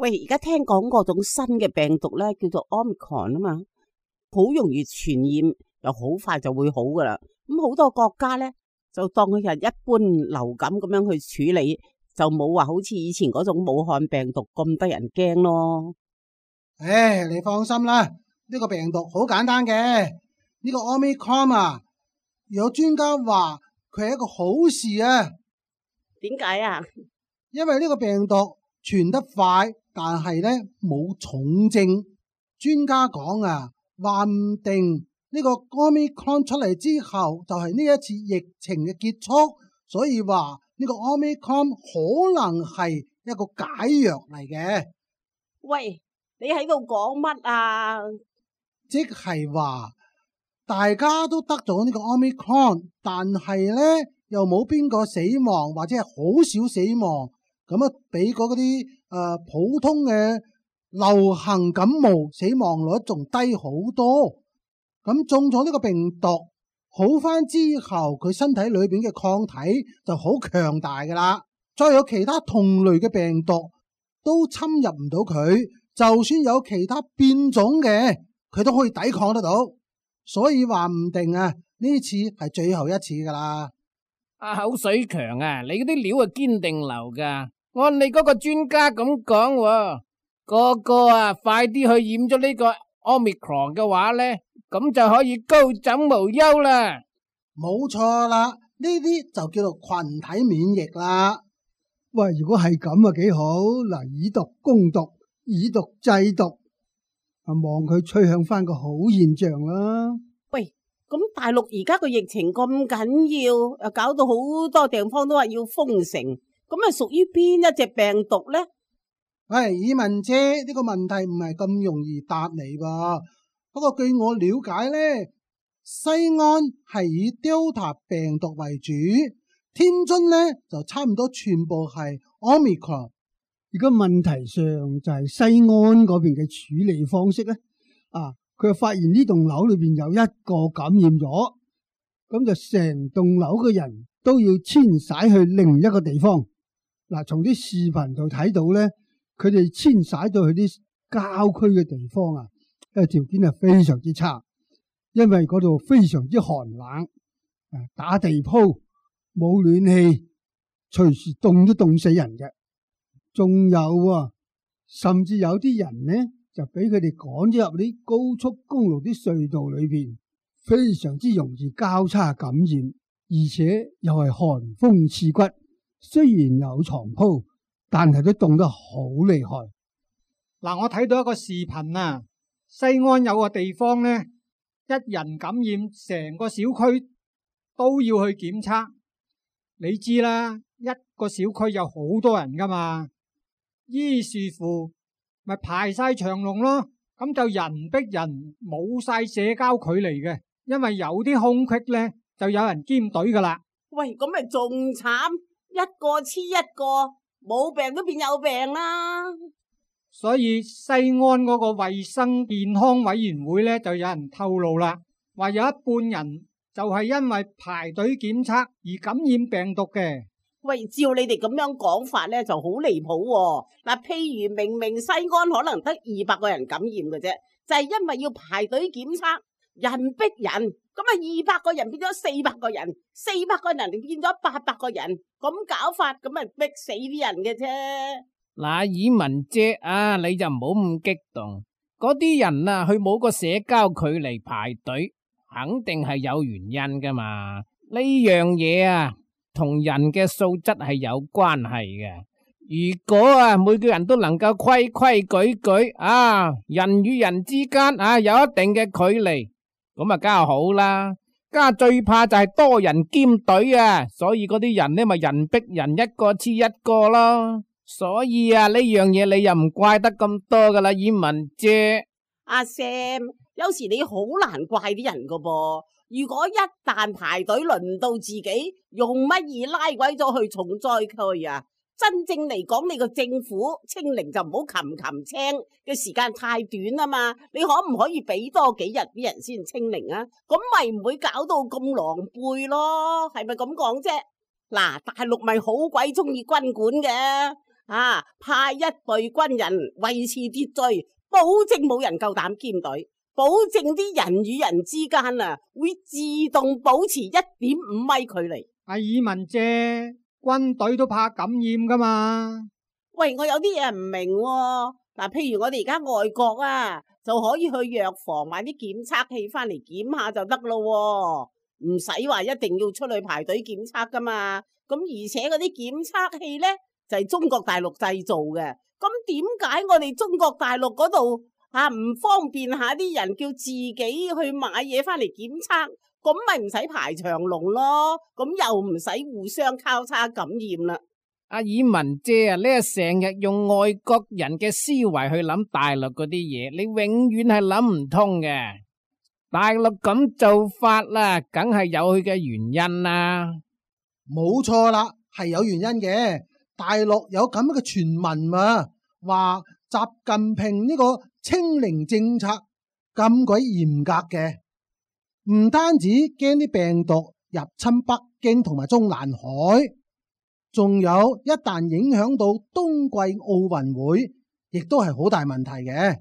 喂，而家聽講嗰種新嘅病毒咧，叫做 Omicron 啊嘛，好容易傳染，又好快就會好噶啦。咁好多國家咧就當佢係一般流感咁樣去處理，就冇話好似以前嗰種武漢病毒咁得人驚咯。唉，你放心啦，呢個病毒好簡單嘅，呢個 Omicron 啊，有專家話佢係一個好事啊。點解啊？因為呢個病毒傳得快，但係咧冇重症。專家講啊，話唔定呢個 Omicron 出嚟之後，就係呢一次疫情嘅結束。所以話呢個 Omicron 可能係一個解藥嚟嘅。喂，你喺度講乜啊？即係話大家都得咗呢個 Omicron，但係咧又冇邊個死亡，或者係好少死亡。咁啊，比嗰啲普通嘅流行感冒死亡率仲低好多。咁中咗呢個病毒好翻之後，佢身體裏邊嘅抗體就好強大噶啦。再有其他同類嘅病毒都侵入唔到佢，就算有其他變種嘅，佢都可以抵抗得到。所以話唔定啊，呢次係最後一次噶啦。阿口水強啊，你嗰啲料啊堅定流噶。按你嗰個專家咁講，個個啊快啲去染咗呢個 Omicron 嘅話咧，咁就可以高枕無憂啦。冇錯啦，呢啲就叫做群體免疫啦。喂，如果係咁啊，幾好嗱，以毒攻毒，以毒制毒，啊望佢趨向翻個好現象啦。喂，咁大陸而家個疫情咁緊要，又搞到好多地方都話要封城，咁係屬於邊一隻病毒咧？喂，以文姐，呢個問題唔係咁容易答你噃。不過據我了解咧，西安係以 Delta 病毒為主，天津咧就差唔多全部係 Omicron。而家問題上就係西安嗰邊嘅處理方式咧，佢發現呢棟樓裏邊有一個感染咗，咁就成棟樓嘅人都要遷徙去另一個地方。嗱，從啲視頻度睇到咧，佢哋遷徙到去啲郊區嘅地方啊，條件係非常之差，因為嗰度非常之寒冷，打地鋪冇暖氣，隨時凍都凍死人嘅。仲有甚至有啲人呢就俾佢哋趕咗入啲高速公路啲隧道裏邊，非常之容易交叉感染，而且又係寒風刺骨。雖然有床鋪，但係都凍得好厲害。嗱，我睇到一個視頻啊，西安有個地方呢，一人感染，成個小區都要去檢測。你知啦，一個小區有好多人噶嘛，於是乎咪排晒長龍咯。咁就人逼人，冇晒社交距離嘅，因為有啲空隙呢，就有人兼隊噶啦。喂，咁咪仲慘，一個黐一個，冇病都變有病啦。所以西安嗰個衛生健康委員會呢，就有人透露啦，話有一半人就係因為排隊檢測而感染病毒嘅。喂，照你哋咁樣講法呢，就好離譜喎。嗱，譬如明明西安可能得200個人感染嘅啫，就係因為要排隊檢測，人逼人，咁啊200個人變咗400個人，400個人變咗800個人，咁搞法咁咪逼死啲人嘅啫。嗱，以文姐啊，你就唔好咁激動。嗰啲人啊，佢冇個社交距離排隊，肯定係有原因噶嘛。呢樣嘢啊，同人嘅素質係有關係嘅。如果啊，每個人都能夠規規矩矩啊，人與人之間啊有一定嘅距離，咁啊梗係好啦。家最怕就係多人兼隊啊，所以嗰啲人呢咪人逼人，一個黐一個咯。所以啊，呢樣嘢你又唔怪得咁多噶啦，以文姐。阿 Sam，有時你好難怪啲人噶噃。如果一旦排隊輪到自己，用乜嘢拉鬼咗去重災區啊？真正嚟講，你個政府清零就唔好擒青嘅時間太短啊嘛。你可唔可以俾多幾日啲人先清零啊？咁咪唔會搞到咁狼狽咯？係咪咁講啫？嗱，大陸咪好鬼中意軍管嘅。派一隊軍人維持秩序，保證冇人夠膽兼隊，保證啲人與人之間會自動保持1.5米距離。阿爾文姐，軍隊都怕感染噶嘛？喂，我有啲嘢唔明喎。嗱，譬如我哋而家外國就可以去藥房買啲檢測器翻嚟檢下就得咯，唔使話一定要出去排隊檢測噶嘛。咁而且嗰啲檢測器呢，就係中國大陸製造嘅，咁點解我哋中國大陸嗰度唔方便下啲人叫自己去買嘢翻嚟檢測？咁咪唔使排長龍咯，咁又唔使互相交叉感染啦。阿爾文姐啊，你係成日用外國人嘅思維去諗大陸嗰啲嘢，你永遠係諗唔通嘅。大陸咁做法啦，梗係有佢嘅原因啦。冇錯啦，係有原因嘅。大陸有咁嘅傳聞嘛，話習近平呢個清零政策咁鬼嚴格嘅，唔單止驚啲病毒入侵北京同埋中南海，仲有一旦影響到冬季奧運會，亦都係好大問題嘅。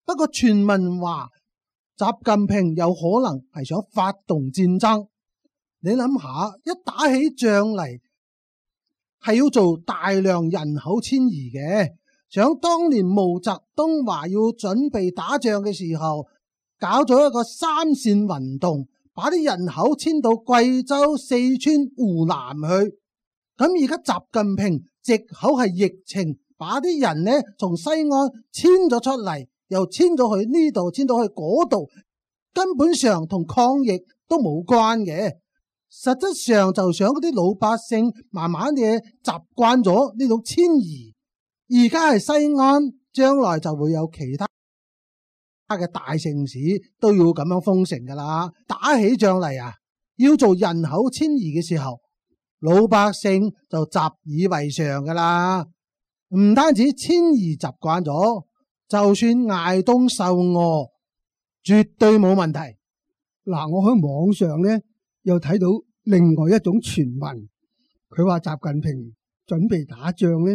不過傳聞話習近平有可能係想發動戰爭，你諗下，一打起仗嚟係要做大量人口遷移嘅。想當年毛澤東話要準備打仗嘅時候，搞咗一個3線運動，把啲人口遷到貴州、四川、湖南去。咁而家習近平藉口係疫情，把啲人呢從西安遷咗出嚟，又遷咗去呢度，遷到去嗰度，根本上同抗疫都冇關嘅。實質上就想嗰啲老百姓慢慢嘅習慣咗呢種遷移。而家係西安，將來就會有其他嘅大城市都要咁樣封城噶啦。打起仗嚟要做人口遷移嘅時候，老百姓就習以為常噶啦。唔單止遷移習慣咗，就算挨凍受餓，絕對冇問題。嗱，我喺網上呢又睇到另外一種傳聞，佢話習近平準備打仗呢，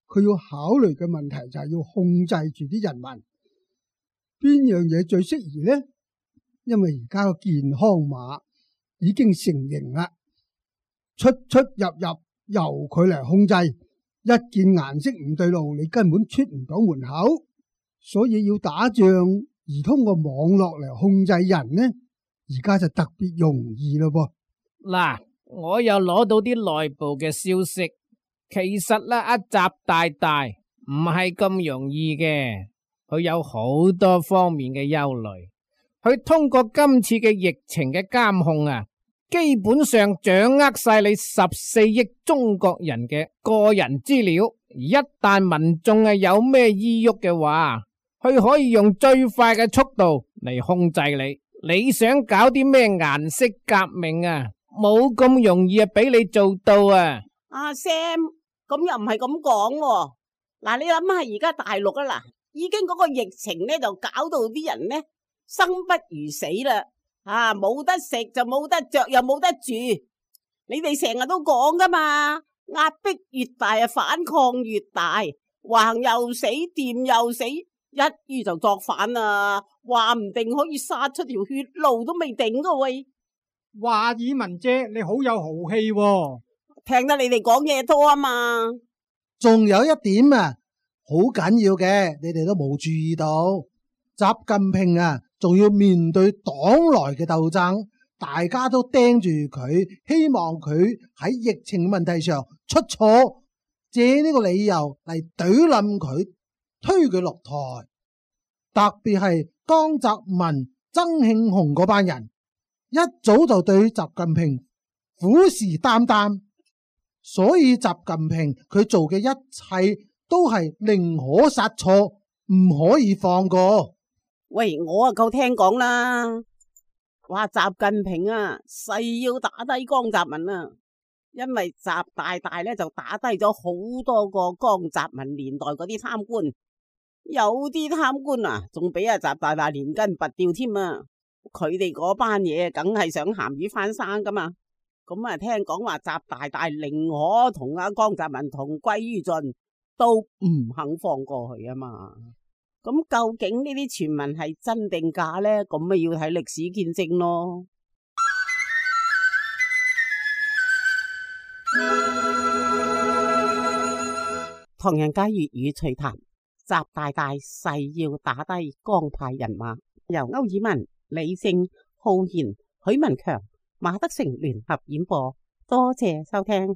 佢要考慮嘅問題就係要控制住啲人民，邊樣嘢最適宜呢？因為而家個健康碼已經成型啦，出出入入由佢嚟控制，一見顏色唔對路，你根本出唔到門口。所以要打仗而通過網絡嚟控制人呢，而家就特別容易咯噃。嗱，我又攞到啲內部嘅消息。其實咧，阿習大大唔係咁容易嘅，佢有好多方面嘅憂慮。佢通過今次嘅疫情嘅監控基本上掌握晒你14億中國人嘅個人資料。而一旦民眾有咩意郁嘅話，佢可以用最快嘅速度嚟控制你。你想搞啲咩顏色革命冇咁容易俾你做到啊！阿 Sam。咁又唔係咁講喎，嗱，你諗下而家大陸已經嗰個疫情呢就搞到啲人呢生不如死啦，冇得食就冇得着又冇得住，你哋成日都講噶嘛，壓迫越大反抗越大，橫又死掂又死，一於就作反啊，話唔定可以殺出條血路都未定噶喂。話爾文姐你好有豪氣喎。聽得你哋講嘢多啊嘛，仲有一點好緊要嘅，你哋都冇注意到，習近平仲要面對黨內嘅鬥爭，大家都盯住佢，希望佢喺疫情問題上出錯，借呢個理由嚟懟冧佢，推佢落台。特別係江澤民、曾慶紅嗰班人，一早就對習近平虎視眈眈。所以習近平佢做嘅一切都係寧可殺錯，唔可以放過。喂，我夠聽講啦，話習近平誓要打低江澤民因為習大大呢就打低咗好多個江澤民年代嗰啲貪官，有啲貪官仲俾習大大連根拔掉添啊！佢哋嗰班嘢梗係想鹹魚翻生噶嘛。咁聽講話習大大寧可同阿江澤民同歸於盡，都唔肯放過去啊嘛。咁究竟呢啲傳聞係真定假呢？咁咪要睇歷史見證咯。唐人街粵語趣談，習大大誓要打低江派人馬，由歐爾文、李正、浩然、許文強、馬德成聯合演播，多謝收聽。